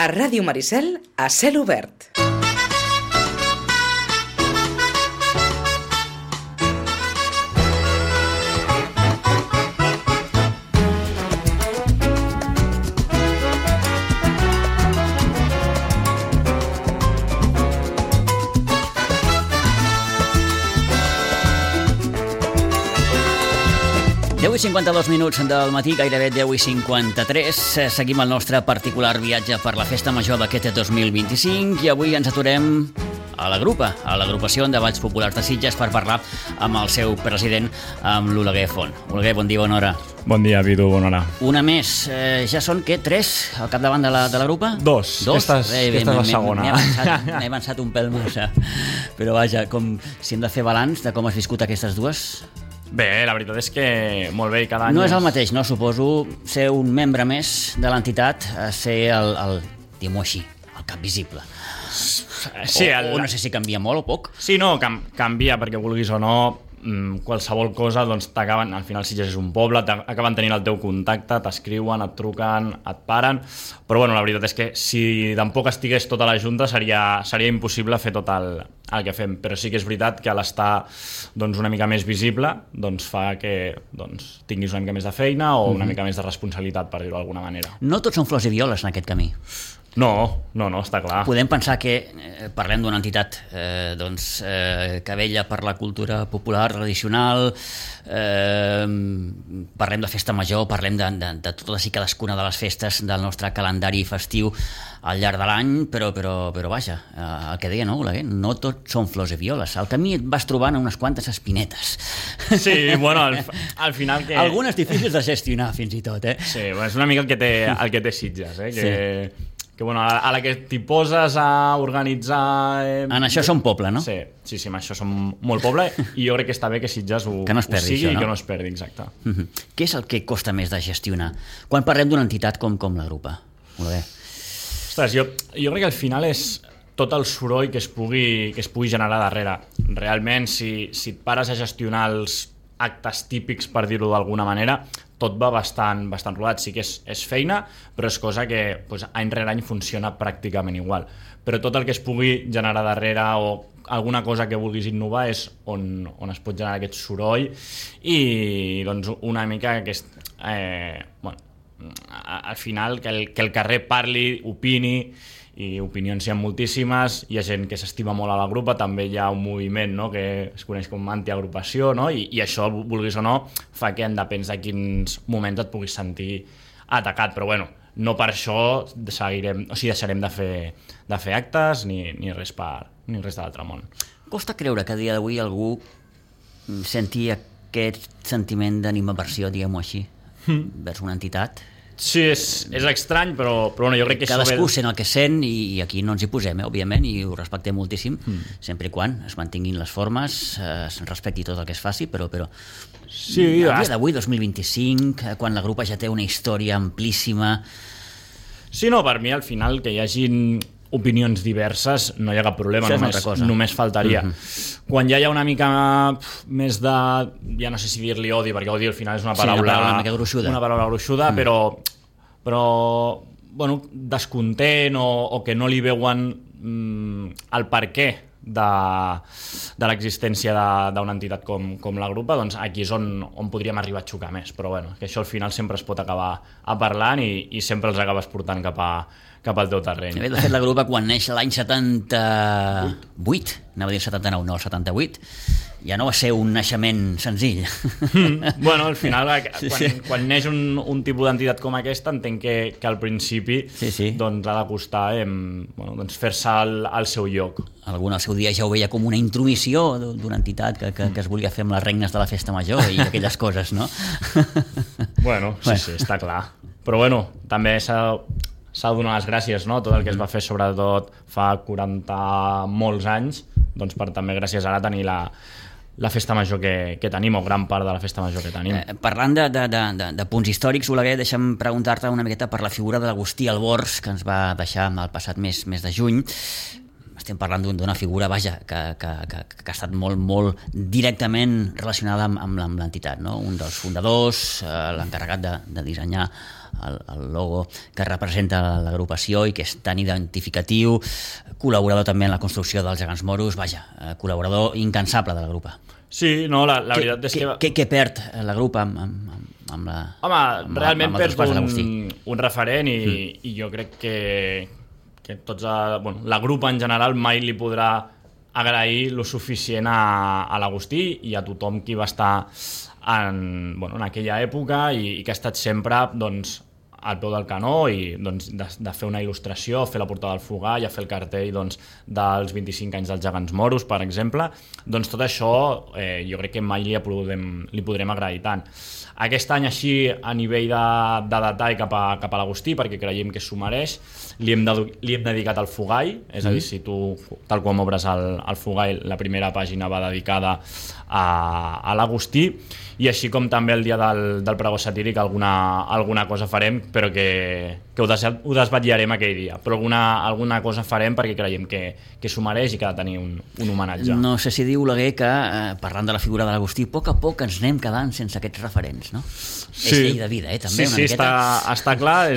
A Ràdio Maricel, a cel obert. I 52 minuts del matí, gairebé 10:53. Seguim el nostre particular viatge per la Festa Major d'aquest 2025 i avui ens aturem a la Grupa, a l'Agrupació de Balls Populars de Sitges, per parlar amb el seu president, amb l'Oleguer Font. Oleguer, bon dia, bona hora. Bon dia, Vidu, bona hora. Una més. Ja són, què, 3 al capdavant de la Grupa? Dos. Aquesta és la segona. M'he avançat un pèl massa. Però vaja, si hem de fer balanç de com has viscut aquestes dues... Bé, la veritat és que molt bé, cada any... No és el mateix, no? Suposo ser un membre més de l'entitat, ser diguem-ho així, el cap visible. Sí, o no sé si canvia molt o poc. Sí, no, canvia, perquè vulguis o no, qualsevol cosa, doncs t'acaben, al final Sitges és un poble, acaben tenint el teu contacte, t'escriuen, et truquen, et paren, però bueno, la veritat és que si tampoc estigués tota la Junta seria impossible fer tot el que fem, però sí que és veritat que a l'estar doncs, una mica més visible doncs, fa que tinguis una mica més de feina o una mica més de responsabilitat, per dir-ho d'alguna manera. No tots són flors i violes en aquest camí. No, està clar. Podem pensar que parlem d'una entitat que vella per la cultura popular, tradicional, parlem de festa major, parlem de totes i cadascuna de les festes del nostre calendari festiu al llarg de l'any, però vaja, el que deia, no, Oleguer? No tots són flors i violes. Al camí et vas trobant unes quantes espinetes. Sí, bueno, al final que... Algunes difícils de gestionar, fins i tot, eh? Sí, bueno, és una mica el que té Sitges, que bueno, a la que t'hi poses a organitzar... En això som poble, no? Sí, en això som molt poble i jo crec que està bé que Sitges ho sigui i que no es perdi, exacte. Què és el que costa més de gestionar quan parlem d'una entitat com la Grupa? Molt bé. Ostres, jo crec que al final és tot el soroll que es pugui generar darrere. Realment, si et pares a gestionar els actes típics, per dir-ho d'alguna manera, tot va bastant rodat. Sí que és feina, però és cosa que any rere any funciona pràcticament igual. Però tot el que es pugui generar darrere o alguna cosa que vulguis innovar és on es pot generar aquest soroll i doncs una mica al final que el carrer parli, opini, i opinions hi ha moltíssimes, hi ha gent que s'estima molt a la Grupa, també hi ha un moviment, no?, que es coneix com antiagrupació, no? I això, vulguis o no, fa que en depèn de quins moments et puguis sentir atacat, però bueno, no per això deixarem de fer actes ni res de l'altre món. Costa creure que a dia d'avui algú senti aquest sentiment d'animaversió, diguem-ho així, vers una entitat. Sí, és estrany, però bueno, jo crec que cadascú sent el que sent i aquí no ens hi posem, òbviament, i ho respectem moltíssim, sempre i quan es mantinguin les formes, es respecti tot el que es faci, però sí, a dia d'avui, 2025, quan la Grupa ja té una història amplíssima... Sí, no, per mi al final que hi hagin opinions diverses no hi ha cap problema, només faltaria. Quan ja hi ha una mica més de, ja no sé si dir-li odi, perquè odi al final és una paraula gruixuda, però bueno, descontent o que no li veuen el perquè de l'existència d'una entitat com la Grupa, doncs aquí és on podríem arribar a xocar més, però bueno, que això al final sempre es pot acabar parlant i sempre els acabes portant cap al teu terreny. De fet, la Grupa, quan neix l'any 78, anava a dir 79, no, el 78, ja no va ser un naixement senzill. Bueno, al final, quan neix un tipus d'entitat com aquesta, entenc que al principi doncs, ha de costar fer-se al seu lloc. Algun al seu dia ja ho veia com una intromissió d'una entitat que es volia fer amb les regnes de la festa major i aquelles coses, no? Bueno, sí, està clar. Però bueno, també s'ha de donar les gràcies, no? Tot el que es va fer, sobretot fa 40 molts anys, doncs per també gràcies ara tenir la festa major que tenim, o gran part de la festa major que tenim. Parlant de punts històrics, Oleguer, deixa'm preguntar-te una miqueta per la figura de l'Agustí Albors, que ens va deixar el passat mes de juny. estem parlant d'una figura, vaja, que ha estat molt directament relacionada amb l'entitat, no? Un dels fundadors, l'encarregat de dissenyar el logo que representa l'agrupació i que és tan identificatiu, col·laborador també en la construcció dels Gegants Moros, vaja, col·laborador incansable de la grupa. Sí, no, la veritat és que... Què perd la grupa amb la... Home, realment perds un referent i jo crec que tots... la grupa en general mai li podrà agrair lo suficient a l'Agustí i a tothom qui va estar en aquella època i que ha estat sempre doncs, al peu del canó i doncs, de fer una il·lustració, fer la portada del Fogall, fer el cartell doncs, dels 25 anys dels Gegants Moros, per exemple. Doncs tot això jo crec que mai li podrem agrair tant. Aquest any així, a nivell de detall cap a l'Agustí, perquè creiem que s'ho mereix, li hem dedicat al Fogall, és a dir, si tu, tal com obres el Fogall, la primera pàgina va dedicada a l'Agustí, i així com també el dia del pregó satíric alguna cosa farem, però que ho desvetllarem aquell dia, però alguna cosa farem perquè creiem que s'ho mereix i que ha de tenir un homenatge. No sé si diu Oleguer que, parlant de la figura de l'Agustí, a poc ens anem quedant sense aquests referents, no? Sí. És llei de vida, també, una miqueta. Sí, està clar,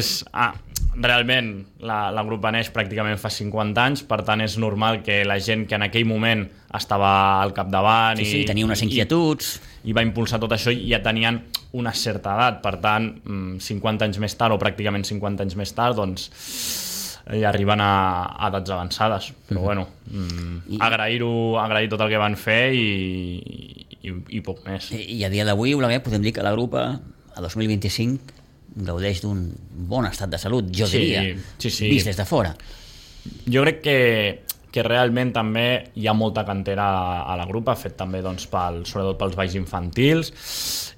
realment la grupa neix pràcticament fa 50 anys, per tant és normal que la gent que en aquell moment estava al capdavant i tenia unes inquietuds i va impulsar tot això i ja tenien una certa edat, per tant 50 anys més tard o pràcticament 50 anys més tard doncs ja arriben a edats avançades, però agrair tot el que van fer i poc més. I a dia d'avui podem dir que la grupa a 2025 gaudeix d'un bon estat de salut, jo diria, vist des de fora. Jo crec que realment també hi ha molta cantera a la grupa, fet també doncs, sobretot pels balls infantils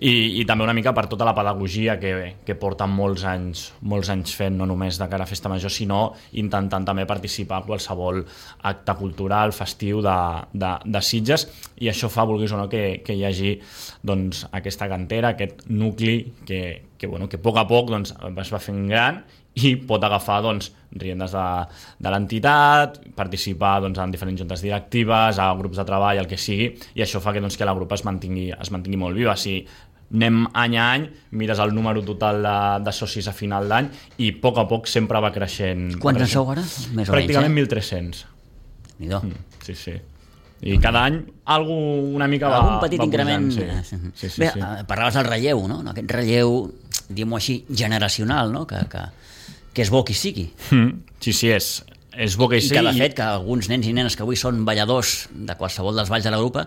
i també una mica per tota la pedagogia que porten molts anys fent, no només de cara a Festa Major, sinó intentant també participar a qualsevol acte cultural, festiu de Sitges, i això fa, vulguis o no, que hi hagi doncs, aquesta cantera, aquest nucli que a poc doncs, es va fent gran i pot agafar doncs, riendes de l'entitat, participar doncs, en diferents juntes directives, a grups de treball, el que sigui, i això fa que la grupa es mantingui molt viva. Si anem any a any, mires el número total de socis a final d'any i a poc sempre va creixent. Quants en sou ara? Més o pràcticament menys, 1.300. Déu-n'hi-do. Sí. I cada any una mica va... Algun petit increment. Sí. Bé, parlaves del relleu, no? Aquest relleu, diguem-ho així, generacional, no? Que és bo que hi sigui. Sí, és bo que hi sigui. I que, de fet, que alguns nens i nenes que avui són balladors de qualsevol dels balls de la grupa,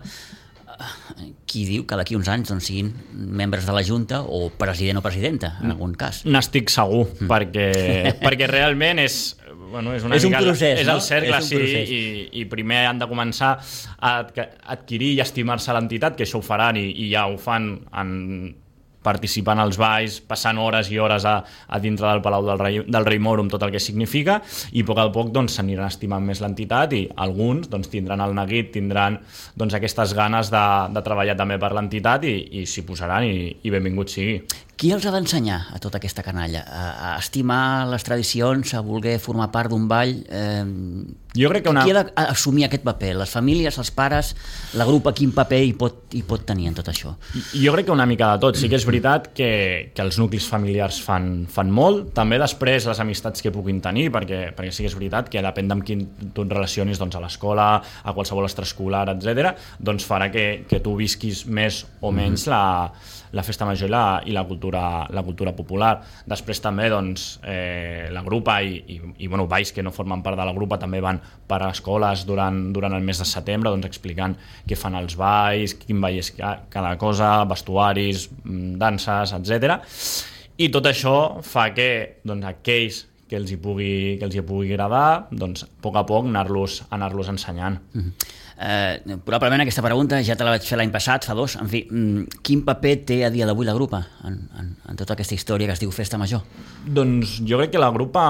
qui diu que d'aquí uns anys doncs, siguin membres de la Junta o president o presidenta, en algun cas. N'estic segur, perquè realment és un procés, és el cercle, i primer han de començar a adquirir i estimar-se l'entitat, que això ho faran i ja ho fan participant als balls, passant hores i hores a dintre del Palau del Rei Moro amb tot el que significa, i a poc doncs, s'aniran estimant més l'entitat i alguns doncs, tindran el neguit, tindran doncs, aquestes ganes de treballar també per l'entitat i s'hi posaran i benvingut sigui. Qui els ha d'ensenyar a tota aquesta canalla? A estimar les tradicions, a voler formar part d'un ball? Jo crec que qui ha d'assumir aquest paper? Les famílies, els pares, la grupa, quin paper hi pot tenir en tot això? Jo crec que una mica de tot. Sí que és veritat que els nuclis familiars fan molt, també després les amistats que puguin tenir, perquè sí que és veritat que depèn amb qui tu et relacionis doncs, a l'escola, a qualsevol extraescolar, etc., doncs farà que tu visquis més o menys la Festa Major i la cultura popular. Després també doncs, la grupa i balls que no formen part de la grupa també van per a escoles durant el mes de setembre, doncs, explicant què fan els balls, quin ball és cada cosa, vestuaris, danses, etc. I tot això fa que doncs, aquells que els hi pugui agradar, doncs, a poc anar-los ensenyant. Probablement aquesta pregunta ja te la vaig fer l'any passat, fa 2. En fi, quin paper té a dia d'avui la grupa en tota aquesta història que es diu Festa Major? Doncs jo crec que la grupa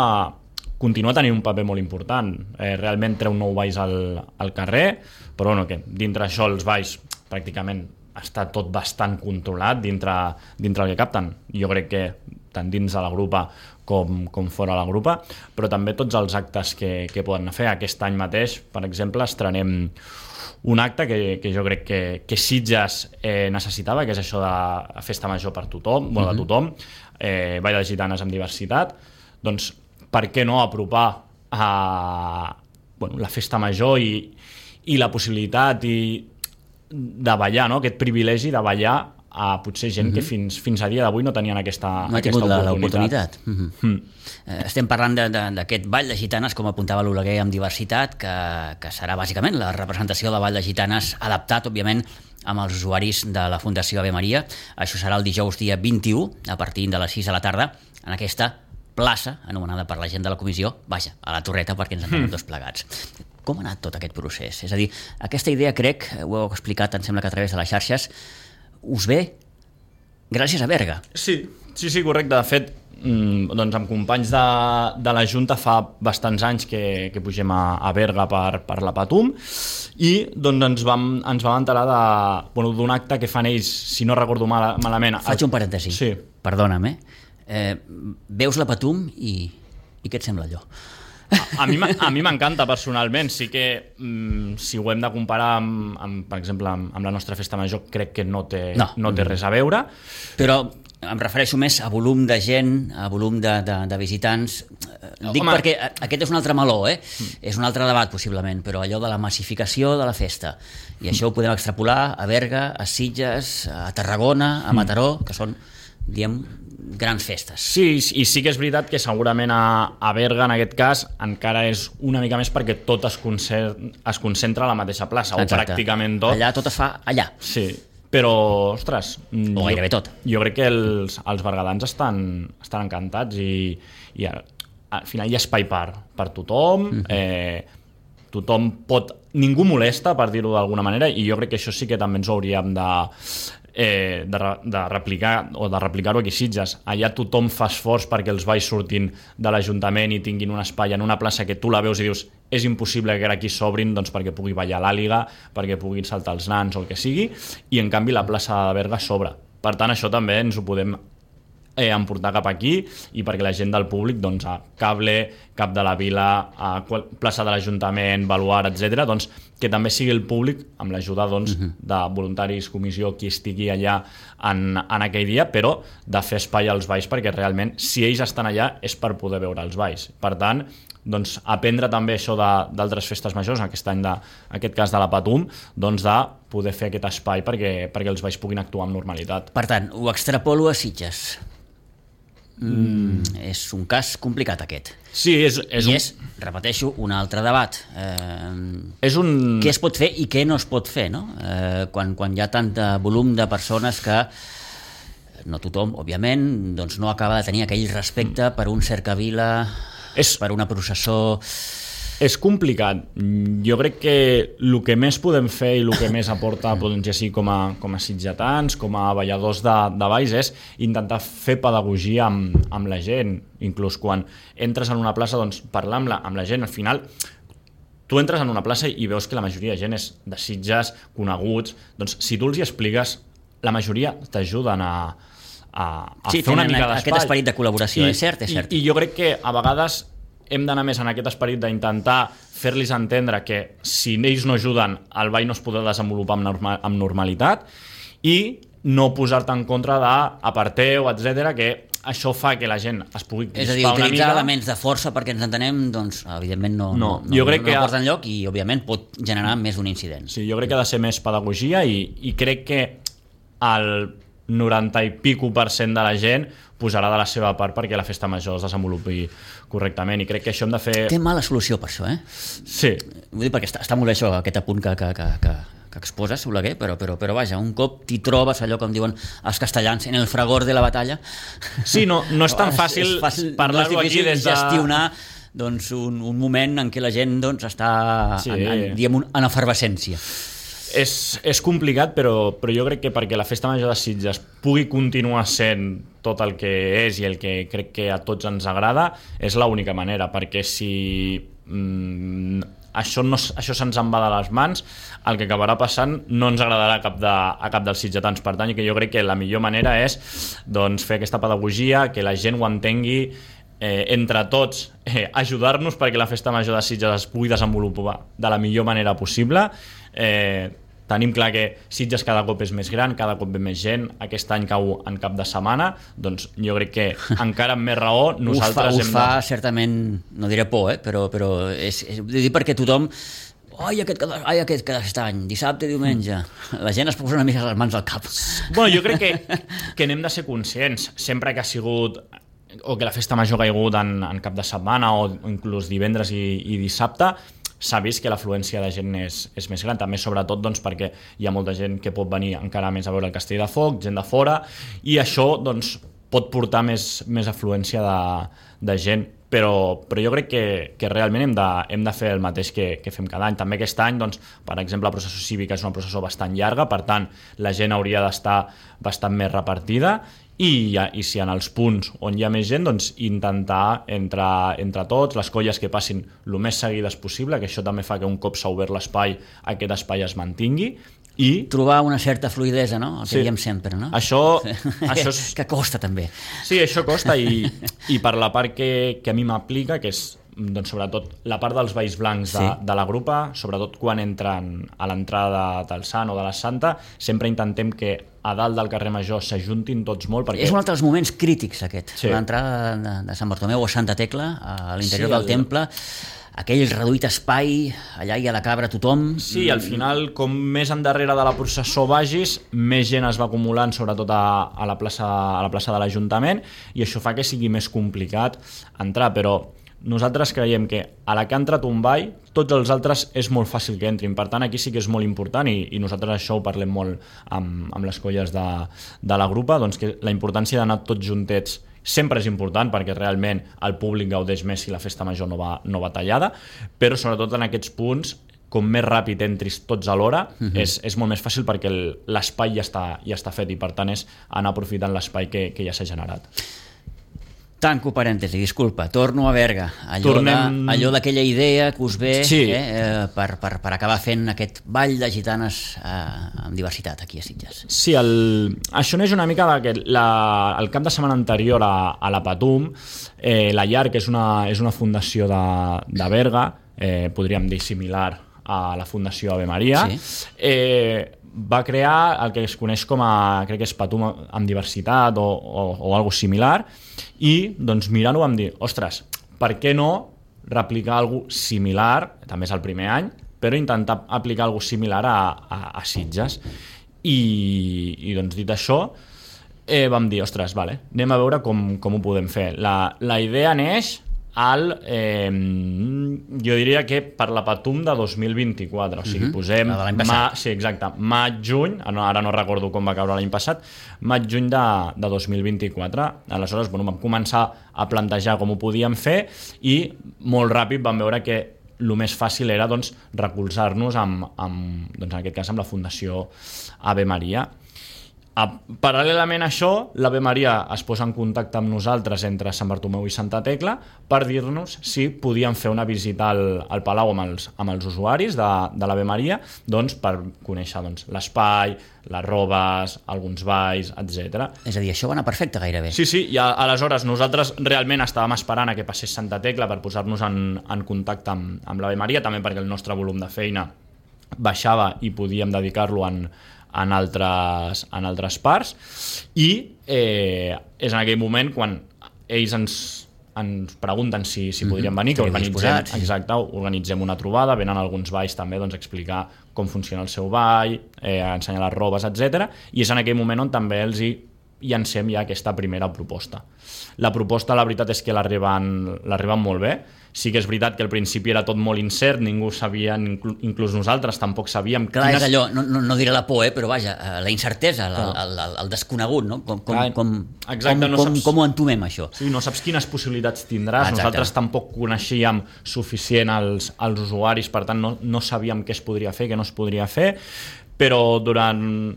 continua tenint un paper molt important. Realment treu 9 balls al carrer, però que dintre això els balls pràcticament està tot bastant controlat dintre el que capten. Jo crec que tant dins de la grupa com fora la grupa, però també tots els actes que poden fer. Aquest any mateix, per exemple, estrenem un acte que jo crec que Sitges necessitava, que és això de la festa major per tothom, de tothom, ball de gitanes amb diversitat. Doncs per què no apropar la festa major i la possibilitat de ballar, no? Aquest privilegi de ballar a potser gent que fins a dia d'avui no tenien aquesta l'oportunitat. Estem parlant d'aquest ball de gitanes, com apuntava l'Oleguer, amb diversitat, que serà bàsicament la representació de ball de gitanes adaptat, òbviament, amb els usuaris de la Fundació Ave Maria. Això serà el dijous dia 21, a partir de les 6 de la tarda, en aquesta plaça, anomenada per la gent de la comissió, vaja, a la Torreta, perquè ens entenem tots plegats. Com ha anat tot aquest procés? És a dir, aquesta idea, crec, ho heu explicat, em sembla que a través de les xarxes, us ve gràcies a Berga. Sí, correcte. De fet, doncs amb companys de la Junta fa bastants anys que pugem a Berga per la Patum i doncs ens vam enterar d'un acte que fan ells, si no recordo malament. Faig un parèntesi, sí. Perdona'm, veus la Patum i què et sembla allò? A mi m'encanta personalment, sí que si ho hem de comparar per exemple amb la nostra festa major, crec que no té res a veure. Però em refereixo més a volum de gent, a volum de visitants. Dic perquè aquest és un altre meló, és un altre debat possiblement, però allò de la massificació de la festa, i això ho podem extrapolar a Berga, a Sitges, a Tarragona, a Mataró, que són, diem, grans festes. Sí, i sí que és veritat que segurament a Berga, en aquest cas, encara és una mica més perquè tot es concentra a la mateixa plaça. Exacte. O pràcticament tot. Allà tot es fa allà. Sí, però, ostres... O gairebé tot. Jo crec que els bergadans estan encantats i al final hi ha espai per tothom, tothom pot... Ningú molesta, per dir-ho d'alguna manera, i jo crec que això sí que també ens ho hauríem de replicar-ho aquí a Sitges. Allà tothom fa esforç perquè els balls surtin de l'Ajuntament i tinguin un espai en una plaça que tu la veus i dius és impossible que aquí s'obrin, doncs perquè pugui ballar l'àliga, perquè puguin saltar els nans o el que sigui, i en canvi la plaça de Berga s'obre. Per tant, això també ens ho podem emportar cap aquí, i perquè la gent del públic, doncs a Cable, Cap de la Vila, a plaça de l'Ajuntament, Baluard, etc., doncs que també sigui el públic, amb l'ajuda doncs, de voluntaris, comissió, qui estigui allà en aquell dia, però de fer espai als balls, perquè realment si ells estan allà és per poder veure els balls. Per tant, doncs, aprendre també això d'altres festes majors, aquest any aquest cas de la Patum, doncs de poder fer aquest espai perquè els balls puguin actuar amb normalitat. Per tant, ho extrapolo a Sitges. És un cas complicat aquest. Sí, repeteixo, un altre debat. Què es pot fer i què no es pot fer, no? Quan hi ha tant volum de persones que no tothom, òbviament, doncs no acaba de tenir aquell respecte per un cercavila, per una processó... És complicat. Jo crec que el que més podem fer i el que més aporta, doncs, ja sigui com a sitgetans, com a balladors de balls, és intentar fer pedagogia amb la gent. Inclús quan entres en una plaça, doncs, parlar amb la gent. Al final, tu entres en una plaça i veus que la majoria de gent és de Sitges, coneguts. Doncs, si tu els hi expliques, la majoria t'ajuden a fer una mica d'espai. Aquest esperit de col·laboració, és cert. I jo crec que a vegades hem d'anar més en aquest esperit d'intentar fer-los entendre que si ells no ajuden, el ball no es podrà desenvolupar amb normalitat, i no posar-te en contra d'aparteu, etc., que això fa que la gent es pugui crispar una mica. És a dir, utilitzar elements de força perquè ens entenem, doncs, evidentment no porta enlloc i, òbviament, pot generar més d'un incident. Sí, jo crec que ha de ser més pedagogia i crec que el 90 i pico% de la gent posarà de la seva part perquè la festa major es desenvolupi correctament, i crec que això hem de fer... Té mala solució per això, Sí. Vull dir, perquè està molt bé això, aquest apunt que exposes, Oleguer, però vaja, un cop t'hi trobes allò, com diuen els castellans, en el fragor de la batalla... Sí, no és tan fàcil parlar-ho aquí des de... gestionar doncs, un moment en què la gent doncs, està en efervescència. És complicat, però jo crec que perquè la festa major de Sitges pugui continuar sent tot el que és i el que crec que a tots ens agrada, és l'única manera, perquè si això se'ns en va de les mans, el que acabarà passant no ens agradarà a cap dels sitgetans. Per tant, que jo crec que la millor manera és doncs, fer aquesta pedagogia, que la gent ho entengui, entre tots ajudar-nos perquè la festa major de Sitges es pugui desenvolupar de la millor manera possible. Tenim clar que Sitges cada cop és més gran, cada cop ve més gent, aquest any cau en cap de setmana, doncs jo crec que encara amb més raó nosaltres us fa certament, no diré por, però és dir perquè tothom aquest any, dissabte, diumenge, la gent es posa una mica les mans al cap. Bueno, jo crec que n'hem de ser conscients, sempre que ha sigut o que la festa major ha caigut en cap de setmana o inclús divendres i dissabte, s'ha vist que l'afluència de gent és més gran, també sobretot doncs, perquè hi ha molta gent que pot venir encara més a veure el Castell de Foc, gent de fora, i això doncs, pot portar més afluència de gent, però jo crec que realment hem de fer el mateix que fem cada any. També aquest any, doncs, per exemple, la processó cívica és una processó bastant llarga, per tant, la gent hauria d'estar bastant més repartida, i si en els punts on hi ha més gent, doncs intentar entre tots les colles que passin el més seguides possible, que això també fa que un cop s'ha obert l'espai, aquest espai es mantingui, i trobar una certa fluïdesa, no? El que diem sempre, no? Això és... que costa també. Sí, això costa, i per la part que a mi m'aplica, que és doncs, sobretot la part dels balls blancs de la grupa, sobretot quan entren a l'entrada del Sant o de la Santa, sempre intentem que a dalt del carrer Major s'ajuntin tots molt, perquè... És un altre dels moments crítics, aquest. L'entrada de Sant Bartomeu o Santa Tecla a l'interior del temple, aquell reduït espai, allà hi ha de cabre tothom. Sí, al final, com més endarrere de la processó vagis, més gent es va acumulant, sobretot a la plaça de l'Ajuntament, i això fa que sigui més complicat entrar, però nosaltres creiem que a la que ha entrat un ball, tots els altres és molt fàcil que entrin. Per tant, aquí sí que és molt important, i nosaltres això ho parlem molt amb les colles de la grupa, doncs que la importància d'anar tots juntets sempre és important, perquè realment el públic gaudeix més si la festa major no va tallada, però sobretot en aquests punts, com més ràpid entris tots a l'hora, és molt més fàcil perquè l'espai ja està fet, i per tant és anar aprofitant l'espai que ja s'ha generat. Tanco parèntesi, disculpa, torno a Berga, allò d'aquella idea que us ve per acabar fent aquest ball de gitanes amb diversitat aquí a Sitges. Sí, això neix una mica que el cap de setmana anterior a la Patum, la Llar, que és una fundació de Berga, podríem dir similar a la Fundació Ave Maria, va crear el que es coneix com a, crec que és Patum amb diversitat o algo similar, i doncs mirant-ho vam dir, ostres, per què no replicar alguna similar, també és el primer any, però intentar aplicar alguna similar a Sitges. I doncs dit això, vam dir, ostres, vale, anem a veure com ho podem fer. La idea neix jo diria que per la Patum de 2024, o sigui, posem maig-juny, ara no recordo com va caure l'any passat, maig-juny de 2024. Aleshores, vam començar a plantejar com ho podíem fer, i molt ràpid vam veure que el més fàcil era recolzar-nos en aquest cas amb la Fundació Ave Maria. Paral·lelament a això, l'Ave Maria es posa en contacte amb nosaltres entre Sant Bartomeu i Santa Tecla per dir-nos si podíem fer una visita al Palau amb els usuaris de l'Ave Maria, doncs, per conèixer l'espai, les robes, alguns balls, etc. És a dir, això va anar perfecte gairebé. Sí, i aleshores nosaltres realment estàvem esperant a que passés Santa Tecla per posar-nos en contacte amb l'Ave Maria, també perquè el nostre volum de feina baixava i podíem dedicar-lo en altres parts, i és en aquell moment quan ells ens pregunten si podríem venir, que organitzem una trobada, venen alguns balls també a explicar com funciona el seu ball, ensenyar les robes, etc. I és en aquell moment on també els llancem ja aquesta primera proposta. La proposta, la veritat és que l'arriben molt bé. Sí que és veritat que al principi era tot molt incert, ningú sabia, inclús nosaltres tampoc sabíem... Clar, és allò, no diré la por, però vaja, la incertesa, el desconegut, no? Com ho entomem, això? Sí, no saps quines possibilitats tindràs. Nosaltres tampoc coneixíem suficient els usuaris, per tant no sabíem què es podria fer, què no es podria fer, però durant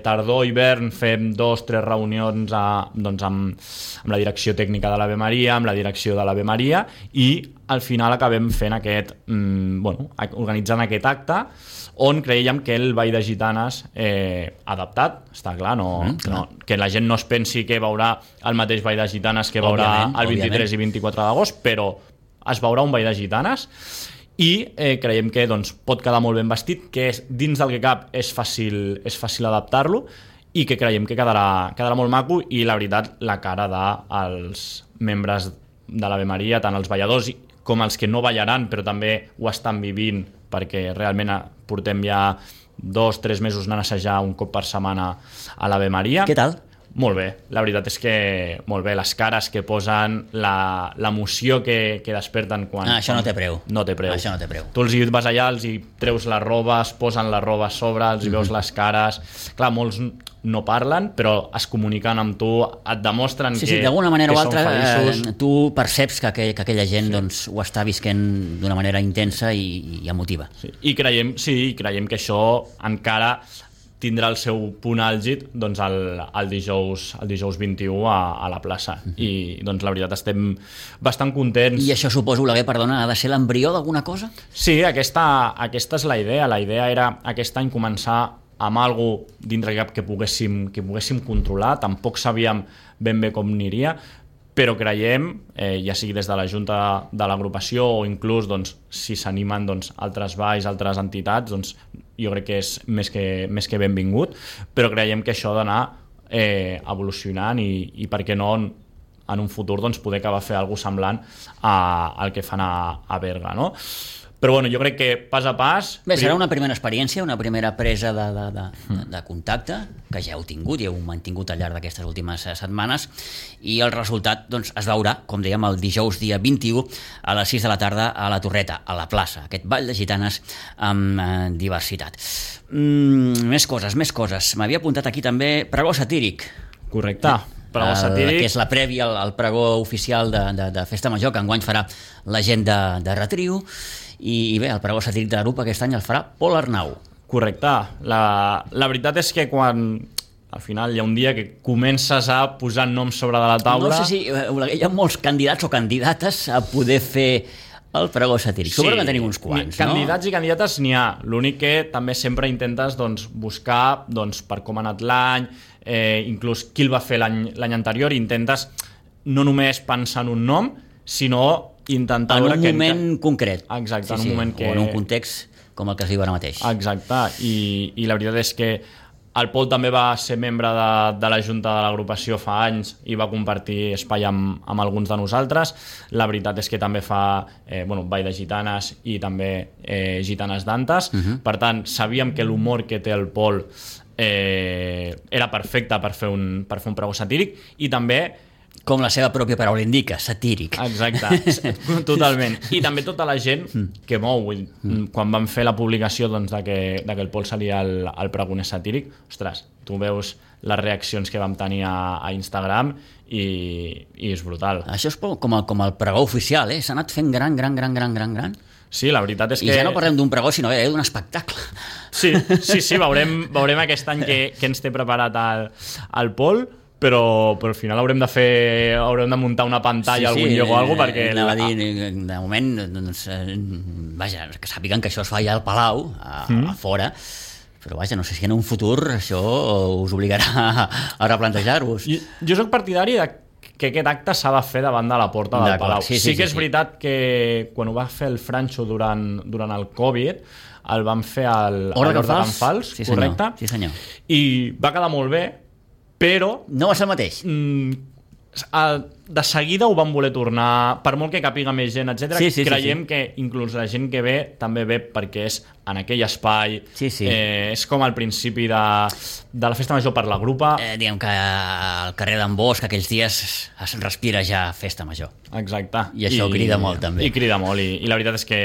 tardor, hivern, fem 2-3 reunions doncs amb la direcció tècnica de l'Ave Maria, amb la direcció de l'Ave Maria, i al final acabem fent organitzant aquest acte on creiem que el Ball de Gitanes adaptat, està clar, que la gent no es pensi que veurà el mateix Ball de Gitanes que veurà el 23 i 24 d'agost, però es veurà un Ball de Gitanes i creiem que pot quedar molt ben vestit, que dins del que cap és fàcil adaptar-lo i que creiem que quedarà molt maco, i la veritat, la cara dels membres de l'Ave Maria, tant els balladors com els que no ballaran però també ho estan vivint, perquè realment portem ja 2-3 mesos anant a assajar un cop per setmana a l'Ave Maria. Què tal? Molt bé, la veritat és que molt bé, les cares que posen, l'emoció que desperten quan... Això no té preu. No té preu. Això no té preu. Tu els hi vas allà, els hi treus la roba, es posen la roba a sobre, els hi veus les cares... Clar, molts no parlen, però es comuniquen amb tu, et demostren que d'alguna manera o altra tu perceps que aquella gent ho està visquent d'una manera intensa i emotiva. I creiem que això encara tindrà el seu punt àlgid el dijous 21 a la plaça, i la veritat estem bastant contents. I això suposo, perdona, ha de ser l'embrió d'alguna cosa? Sí, aquesta és la idea era aquest any començar amb algo dintre que poguéssim controlar. Tampoc sabíem ben bé com aniria, però creiem, ja sigui des de la Junta de l'agrupació o inclús si s'animen altres balls, altres entitats, jo crec que és més que benvingut, però creiem que això ha d'anar evolucionant i per què no en un futur poder acabar a fer alguna cosa semblant al que fan a Berga, no? Però jo crec que pas a pas... Bé, serà una primera experiència, una primera presa de contacte, que ja heu tingut i heu mantingut al llarg d'aquestes últimes setmanes, i el resultat es veurà, com dèiem, el dijous dia 21 a les 6 de la tarda a la Torreta, a la plaça, aquest Ball de Gitanes amb diversitat. Més coses. M'havia apuntat aquí també pregó satíric. Correcte. Que és la prèvia al pregó oficial de Festa Major, que enguany farà la gent de Retriu, i bé, el pregó satíric de la grup aquest any el farà Pol Arnau. Correcte. La veritat és que quan al final hi ha un dia que comences a posar noms sobre de la taula... No sé si hi ha molts candidats o candidates a poder fer el pregó satíric. Sí, suposo que tenim uns quants, candidats i candidates n'hi ha. L'únic que també sempre intentes buscar per com ha anat l'any, inclús qui el va fer l'any anterior, i intentes no només pensar en un nom, sinó intentar... En un moment concret. Exacte, en un moment que... O en un context com el que es diu ara mateix. Exacte, i la veritat és que el Pol també va ser membre de la Junta de l'agrupació fa anys i va compartir espai amb alguns de nosaltres. La veritat és que també fa Ball de Gitanes i també Gitanes d'Antes. Per tant, sabíem que l'humor que té el Pol era perfecte per fer un pregó satíric, i també, com la seva pròpia paraula indica, satíric. Exacte, totalment. I també tota la gent que mou. Quan vam fer la publicació de que el Pol seria el pregoner satíric, ostres, tu veus les reaccions que vam tenir a Instagram i és brutal. Això és com el pregó oficial, s'ha anat fent gran. Sí, la veritat és que... I ja no parlem d'un pregó, sinó d'un espectacle. Sí, veurem aquest any que ens té preparat el Pol, però al final haurem de muntar una pantalla a algun lloc o alguna cosa, perquè... De moment, vaja, que sàpiguen que això es fa ja al Palau, a fora, però vaja, no sé si en un futur això us obligarà a replantejar-vos. Jo soc partidari que aquest acte s'ha de fer davant de la porta del Palau. Sí que és veritat que quan ho va fer el Francho durant el Covid, el van fer al Hort de Can Fals, correcte? Sí, senyor. I va quedar molt bé, però... No va ser el mateix. De seguida ho van voler tornar, per molt que capiga més gent, etc. Creiem que inclús la gent que ve també ve perquè és en aquell espai. És com al principi de la Festa Major per la grupa. Diguem que al carrer d'en Bosch aquells dies es respira ja Festa Major. Exacte. I això crida molt també. I crida molt, i la veritat és que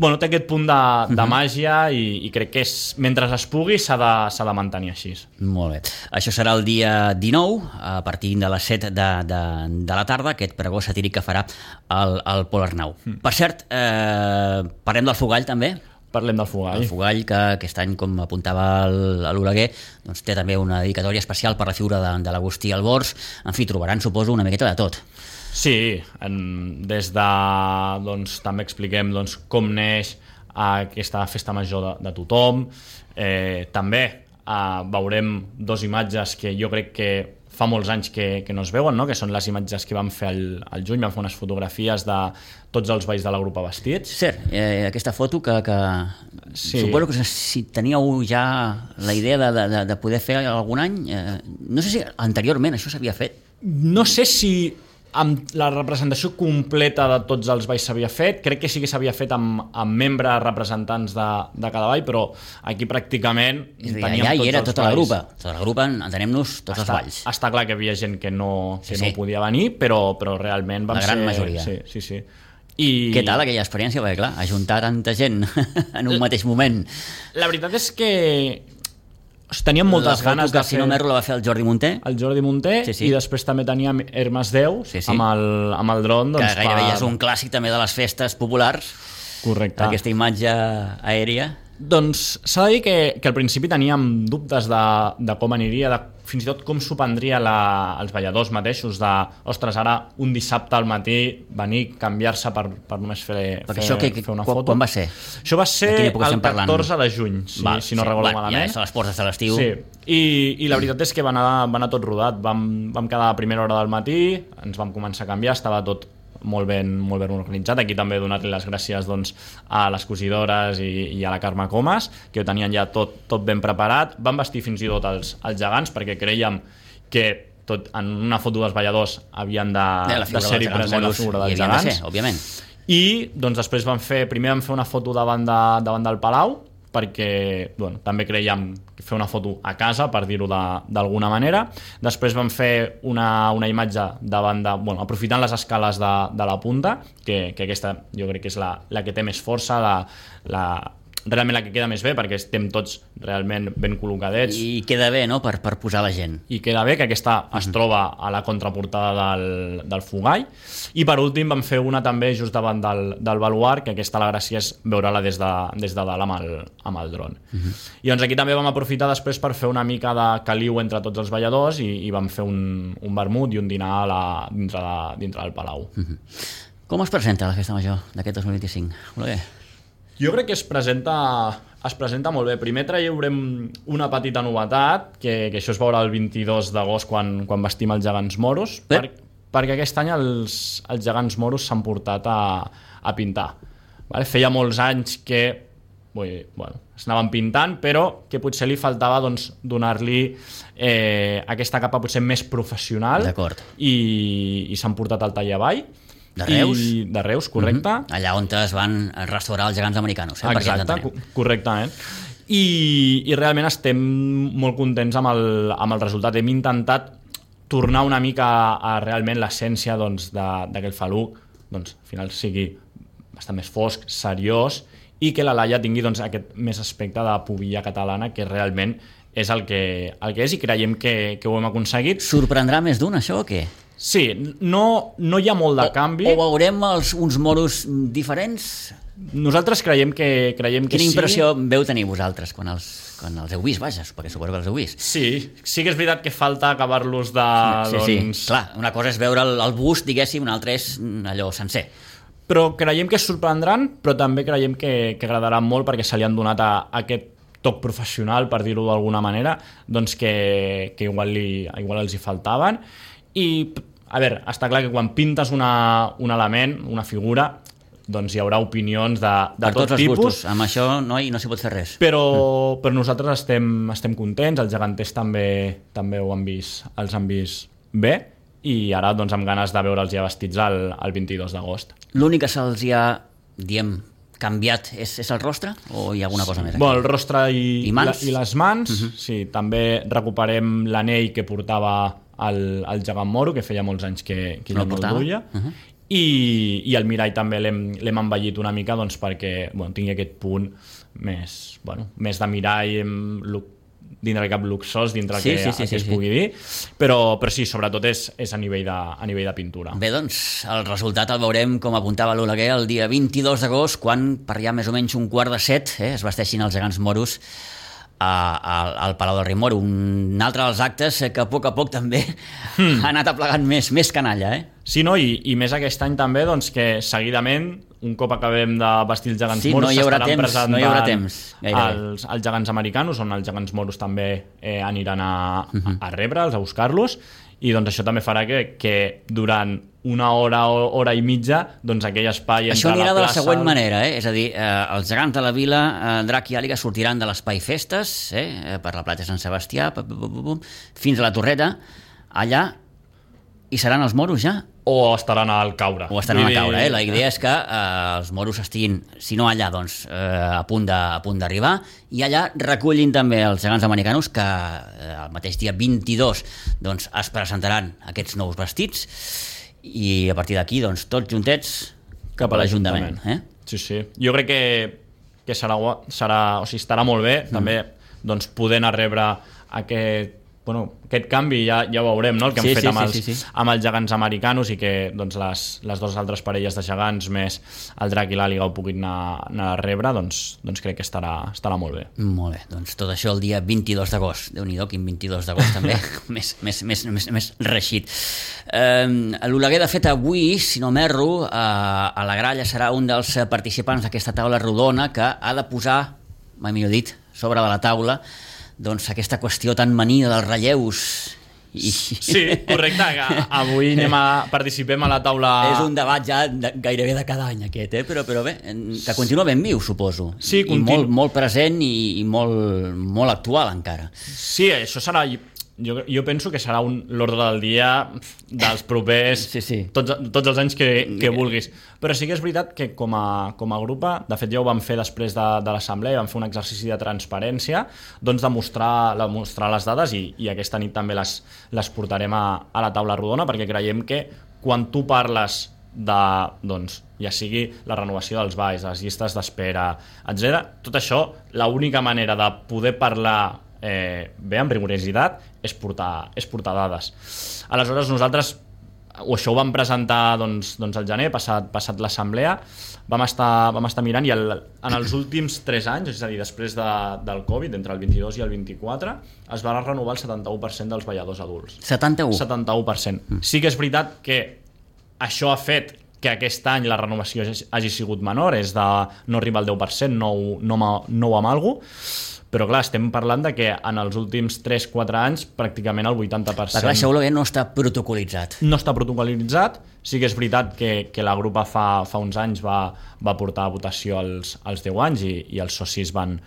té aquest punt de màgia, i crec que mentre es pugui s'ha de mantenir així. Molt bé. Això serà el dia 19, a partir de les 7 de la tarda, aquest pregó satíric que farà el Pol Arnau. Per cert, parlem del Fogall també? Parlem del Fugall. El Fugall, que aquest any, com apuntava l'Oleguer, doncs té també una dedicatòria especial per la figura de l'Agustí Albors. En fi, trobaran, suposo, una miqueta de tot. Sí, des de... Doncs, també expliquem com neix aquesta festa major de tothom. També veurem dos imatges que jo crec que fa molts anys que no es veuen, no? Que són les imatges que vam fer al juny, vam fer unes fotografies de tots els balls de la grupa vestits. Cert, aquesta foto que sí. Suposo que si teníeu ja la idea de poder fer algun any, no sé si anteriorment això s'havia fet. No sé si amb la representació completa de tots els balls s'havia fet, crec que sí que s'havia fet amb membres representants de cada ball, però aquí pràcticament teníem allà hi era tota la grupa, entenem-nos, tots els balls. Està clar que hi havia gent que no podia venir, però realment vam ser... La gran majoria. Sí. Què tal aquella experiència? Perquè clar, ajuntar tanta gent en un mateix moment. La veritat és que teníem moltes ganes de fer... Si no m'erro la va fer el Jordi Munté. El Jordi Munté, sí. I després també teníem Hermes Déu, sí. amb el dron. Que gairebé ja és un clàssic també de les festes populars. Correcte. Aquesta imatge aèria. Doncs s'ha de dir que al principi teníem dubtes de com aniria, fins i tot com s'ho prendria els balladors mateixos, ostres, ara un dissabte al matí venir, canviar-se per només fer una foto. Quan va ser? Això va ser el 14 de juny, si no recordo malament. Ja és a les portes de l'estiu. Sí, i la veritat és que va anar tot rodat. Vam quedar a primera hora del matí, ens vam començar a canviar, estava tot molt ben organitzat. Aquí també donar-li les gràcies a les cosidores i a la Carme Comas, que ho tenien ja tot ben preparat. Van vestir fins i tot els gegants, perquè creiem que en una foto dels balladors havien de ser-hi present la figura dels gegants. Òbviament. I després primer vam fer una foto davant del Palau, perquè també creiem fer una foto a casa, per dir-ho d'alguna manera. Després vam fer una imatge aprofitant les escales de la punta, que aquesta jo crec que és la que té més força, realment la que queda més bé, perquè estem tots realment ben col·locadets. I queda bé, no?, per posar la gent. I queda bé, que aquesta es troba a la contraportada del Fugall. I per últim vam fer una també just davant del baluart, que aquesta la gràcia és veure-la des de dalt amb el dron. I doncs aquí també vam aprofitar després per fer una mica de caliu entre tots els balladors i vam fer un vermut i un dinar dintre del Palau. Com es presenta la festa major d'aquest 2025? Oleguer? Jo crec que es presenta molt bé. Primer traurem una petita novetat, que això es veurà el 22 d'agost quan vestim els gegants moros, perquè aquest any els gegants moros s'han portat a pintar. Feia molts anys que s'anaven pintant, però que potser li faltava donar-li aquesta capa potser més professional. D'acord. I s'han portat al tallavall. De Reus? De Reus, correcte. Allà on es van restaurar els gegants americanos. Exacte, correctament. I realment estem molt contents amb el resultat. Hem intentat tornar una mica a realment l'essència d'aquell faluc, al final sigui bastant més fosc, seriós, i que la Laia tingui aquest més aspecte de pubilla catalana, que realment és el que és, i creiem que ho hem aconseguit. Sorprendrà més d'un, això, o què? Sí, no hi ha molt de canvi. O veurem uns moros diferents? Nosaltres creiem que sí. Quina impressió veu tenir vosaltres quan els heu vist, vaja, perquè suposo que els heu vist? Sí que és veritat que falta acabar-los de... Sí, clar, una cosa és veure el bust, diguéssim, una altra és allò sencer. Però creiem que es sorprendran, però també creiem que agradaran molt, perquè se li han donat aquest toc professional, per dir-ho d'alguna manera, que igual els hi faltaven. I, a veure, està clar que quan pintes un element, una figura, hi haurà opinions de tot tipus. Gustos. Amb això no s'hi pot fer res. Però nosaltres estem contents, els geganters també els han vist bé, i ara amb ganes de veure'ls ja vestits el 22 d'agost. L'únic que se'ls ha, canviat és el rostre, o hi ha alguna cosa més aquí? El rostre i les mans. Sí, també recuperem l'anell que portava el gegant moro, que feia molts anys que ja no el duia. I el mirall també l'hem embellit una mica perquè tingui aquest punt més de mirall, cap luxós dintre el que es pugui dir, però sí, sobretot és a nivell de pintura. Bé, doncs, el resultat el veurem, com apuntava l'Oleguer, el dia 22 d'agost, quan per allà més o menys 6:45 es vesteixin els gegants moros al Palau del Rei Moro. Un altre dels actes que a poc també ha anat aplegant més canalla, Sí, no? I més aquest any també, doncs, que seguidament, un cop acabem de vestir els gegants moros, no hi haurà temps els gegants americanos, on els gegants moros també aniran a rebre'ls, a buscar-los, i doncs això també farà que durant una hora i mitja, doncs aquell espai això anirà de la següent manera, és a dir, els gegants de la vila, Drac i Àliga, sortiran de l'espai festes, per la platja Sant Sebastià, fins a la Torreta, allà hi seran els moros ja? O estaran al caure. La idea és que els moros estiguin, si no allà, doncs a punt d'arribar, i allà recullin també els gegants americanos, que el mateix dia 22 doncs, es presentaran aquests nous vestits, i a partir d'aquí, doncs, tots juntets cap a l'Ajuntament. Sí. Jo crec que estarà molt bé, també, doncs, poder anar a rebre aquest canvi, ja ho veurem, no? El que han fet amb els gegants americanos, i que doncs, les dues altres parelles de gegants més el Drac i l'Àliga ho puguin anar a rebre, doncs crec que estarà molt bé. Molt bé, doncs tot això el dia 22 d'agost. Déu-n'hi-do, quin 22 d'agost també, més reixit. L'Oleguer, de fet, avui, si no m'erro, a la Gralla serà un dels participants d'aquesta taula rodona que ha de posar, mai millor dit, sobre de la taula, doncs aquesta qüestió tan manida dels relleus. Sí, correcte, que avui participem a la taula. És un debat ja gairebé de cada any aquest, però bé, que continua ben viu, suposo. Sí, i molt present i molt actual encara. Sí, això serà... Jo penso que serà l'ordre del dia dels propers tots els anys que vulguis. Però sí que és veritat que com a grup, de fet ja ho vam fer després de l'assemblea, vam fer un exercici de transparència, doncs de mostrar les dades, i aquesta nit també les portarem a la taula rodona, perquè creiem que quan tu parles de, doncs, ja sigui la renovació dels balls, les llistes d'espera, etc., tot això, l'única manera de poder parlar bé, amb rigorositat, és portar dades. Aleshores nosaltres això ho vam presentar doncs al gener, passat l'assemblea, vam estar mirant, i en els últims 3 anys, és a dir, després del Covid, entre el 22 i el 24, es va renovar el 71% dels balladors adults. 71%. Sí que és veritat que això ha fet que aquest any la renovació hagi sigut menor, és de no arribar al 10%, no amb alguna cosa, però clar, estem parlant de que en els últims 3-4 anys pràcticament el 80%... Clar, això no està protocolitzat. No està protocolitzat. Sí que és veritat que la grupa fa uns anys va portar a votació als 10 anys, i els socis van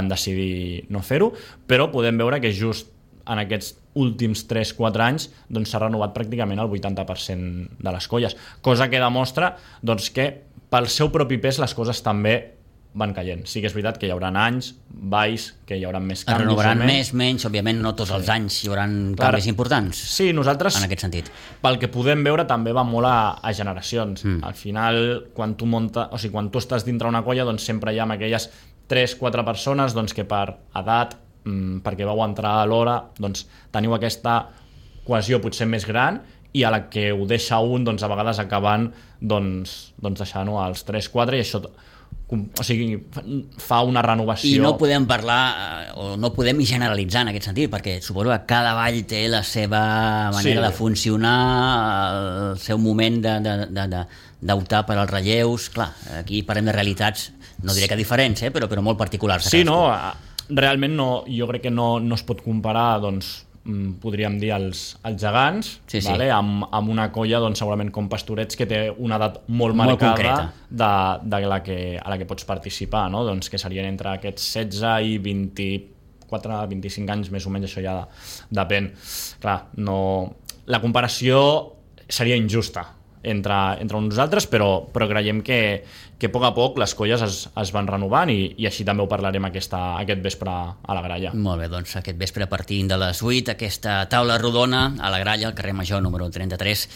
decidir no fer-ho, però podem veure que just en aquests últims 3-4 anys doncs, s'ha renovat pràcticament el 80% de les colles, cosa que demostra doncs, que pel seu propi pes les coses també van caient. Sí que és veritat que hi haurà anys, balls, que hi haurà més canvis. Es renovaran menys, òbviament no tots els anys hi haurà canvis importants. Sí, nosaltres, en aquest sentit, pel que podem veure, també va molt a generacions. Al final, quan tu estàs dintre una colla, doncs sempre hi ha aquelles 3-4 persones doncs, que per edat, perquè vau entrar a l'hora, doncs teniu aquesta cohesió potser més gran, i a la que ho deixa un, doncs a vegades acaben deixant-ho als 3-4, i això fa una renovació. I no podem parlar, o no podem generalitzar en aquest sentit, perquè suposo que cada ball té la seva manera de funcionar, el seu moment d'optar per als relleus. Clar, aquí parlem de realitats, no diré que diferents, però molt particulars. Sí, no, realment jo crec que no es pot comparar, doncs, podríem dir els gegants, vale? Amb una colla doncs, segurament com Pastorets, que té una edat molt marcada a la que pots participar, no? Doncs que serien entre aquests 16 i 24-25 anys, més o menys, això ja depèn. Clar, la comparació seria injusta entre nosaltres, però creiem que a poc les colles es van renovant, i així també ho parlarem aquest vespre a la Gralla. Molt bé, doncs aquest vespre a partir de les 8, aquesta taula rodona a la Gralla, al carrer Major número 33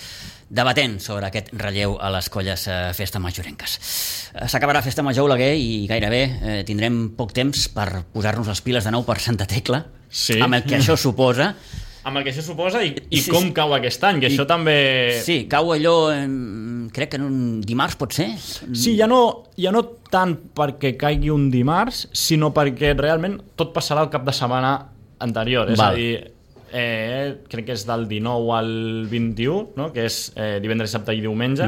debatent sobre aquest relleu a les colles Festa Majorenques. S'acabarà Festa Major, Oleguer, i gairebé tindrem poc temps per posar-nos les piles de nou per Santa Tecla, amb el que això suposa. Amb el que això suposa i com cau aquest any, que això també... Sí, cau allò, crec que en un dimarts pot ser? Sí, ja no tant perquè caigui un dimarts, sinó perquè realment tot passarà el cap de setmana anterior. És a dir, crec que és del 19 al 21, no? Que és divendres, dissabte i diumenge,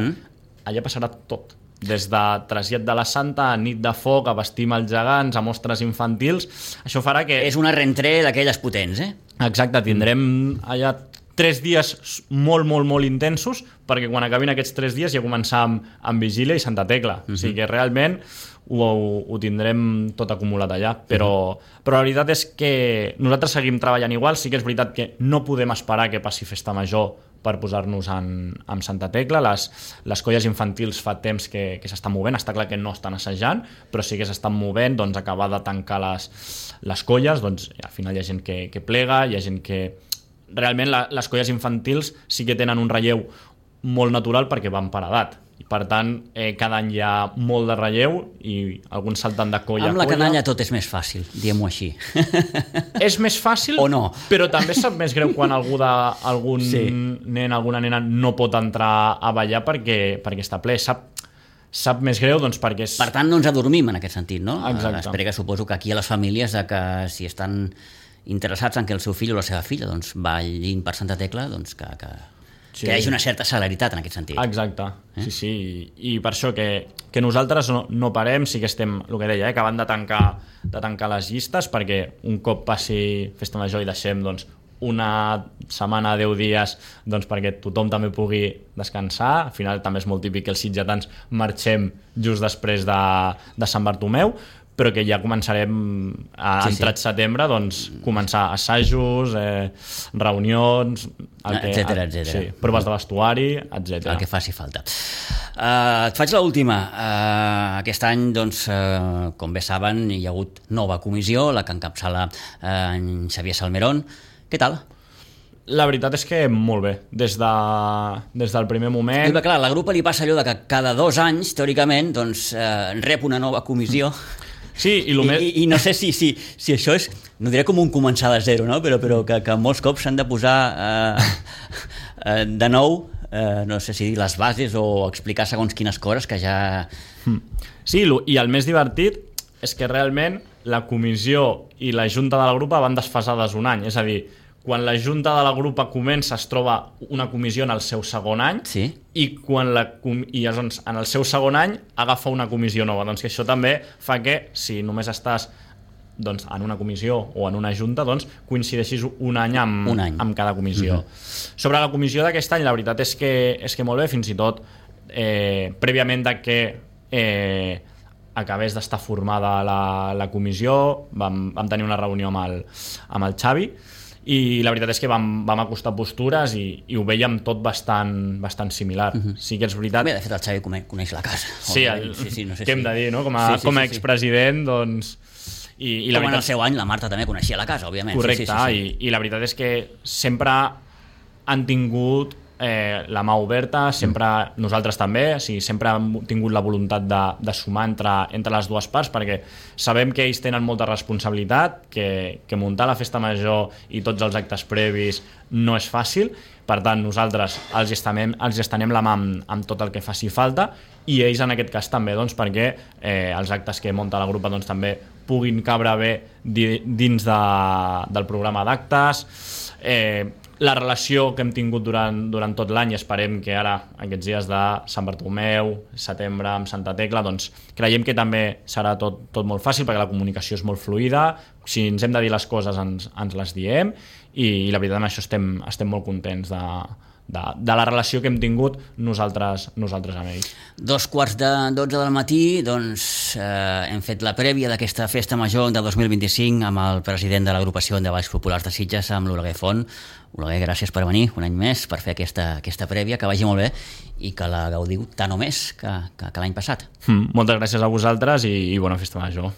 allà passarà tot. Des de trasllat de la Santa, a nit de foc, a vestim els gegants, a mostres infantils. Això farà que... És una rentré d'aquelles potents, Exacte, tindrem allà 3 dies molt, molt, molt intensos, perquè quan acabin aquests 3 dies ja començar amb Vigília i Santa Tecla. O sigui que realment ho tindrem tot acumulat allà, però la veritat és que nosaltres seguim treballant igual. Sí que és veritat que no podem esperar que passi Festa Major per posar-nos amb Santa Tecla. Les colles infantils fa temps que s'estan movent, està clar que no estan assajant, però sí que s'estan movent, doncs acabar de tancar les colles, doncs al final hi ha gent que plega, hi ha gent que... Realment les colles infantils sí que tenen un relleu molt natural perquè van per edat. I per tant, cada any hi ha molt de relleu i alguns salten de colla a colla. Amb la canalla tot és més fàcil, diguem-ho així. És més fàcil, o no? Però també sap més greu quan algun nen, alguna nena no pot entrar a ballar perquè està ple. Sap més greu, doncs, perquè és... Per tant, no ens adormim en aquest sentit, no? Exacte. Espera que suposo que aquí a les famílies, que si estan interessats en que el seu fill o la seva filla doncs, ballin per Santa Tecla, doncs que hi hagi una certa celeritat en aquest sentit. Exacte, sí. I per això que nosaltres no parem, sí que estem, el que deia, acabant de tancar les llistes, perquè un cop passi Festa Major i deixem doncs, una setmana, 10 dies, doncs, perquè tothom també pugui descansar. Al final també és molt típic que els sitgetans marxem just després de Sant Bartomeu, però que ja començarem entrat setembre, doncs començar assajos, reunions, etcètera. Sí, proves de vestuari, etcètera. El que faci falta. Et faig l'última. Aquest any, doncs, com bé saben, hi ha hagut nova comissió, la que encapçala en Xavier Salmerón. Què tal? La veritat és que molt bé, des del primer moment... I clar, a la grupa li passa allò de que cada 2 anys, teòricament, doncs, rep una nova comissió. Sí, I no sé si això és, no diré com un començar de zero, no? però que molts cops s'han de posar de nou, no sé si dir les bases o explicar segons quines coses que ja... Sí, i el més divertit és que realment la comissió i la junta de la grupa van desfasades un any, és a dir, quan la junta de la grupa comença es troba una comissió en el seu segon any, i llavors en el seu segon any agafa una comissió nova. Doncs que això també fa que si només estàs doncs, en una comissió o en una junta, doncs coincideixis un any amb cada comissió. Sobre la comissió d'aquest any, la veritat és que molt bé, fins i tot prèviament de que acabés d'estar formada la comissió, vam tenir una reunió amb el Xavi, i la veritat és que vam acostar postures i ho vèiem tot bastant similar. Sí que és veritat... Bé, de fet el Xavi coneix la casa. Sí, no sé què hem de dir, no? Com a expresident, doncs... Com en el seu any la Marta també coneixia la casa, òbviament. Correcte, i la veritat és que sempre han tingut la mà oberta, sempre nosaltres també, sempre hem tingut la voluntat de sumar entre les dues parts, perquè sabem que ells tenen molta responsabilitat, que muntar la festa major i tots els actes previs no és fàcil. Per tant, nosaltres els estenem la mà amb tot el que faci falta, i ells en aquest cas també, doncs, perquè els actes que munta la grupa doncs, també puguin cabre bé dins del programa d'actes. La relació que hem tingut durant tot l'any, i esperem que ara, aquests dies de Sant Bartomeu, setembre amb Santa Tecla, doncs creiem que també serà tot molt fàcil, perquè la comunicació és molt fluida. Si ens hem de dir les coses ens les diem, i la veritat amb això estem molt contents de la relació que hem tingut nosaltres amb ells. 2:45 del matí, doncs hem fet la prèvia d'aquesta festa major de 2025 amb el president de l'agrupació de Balls Populars de Sitges, amb l'Oleguer Font. Oleguer, gràcies per venir un any més per fer aquesta prèvia, que vagi molt bé i que la gaudiu tant o més que l'any passat. Moltes gràcies a vosaltres i bona festa major.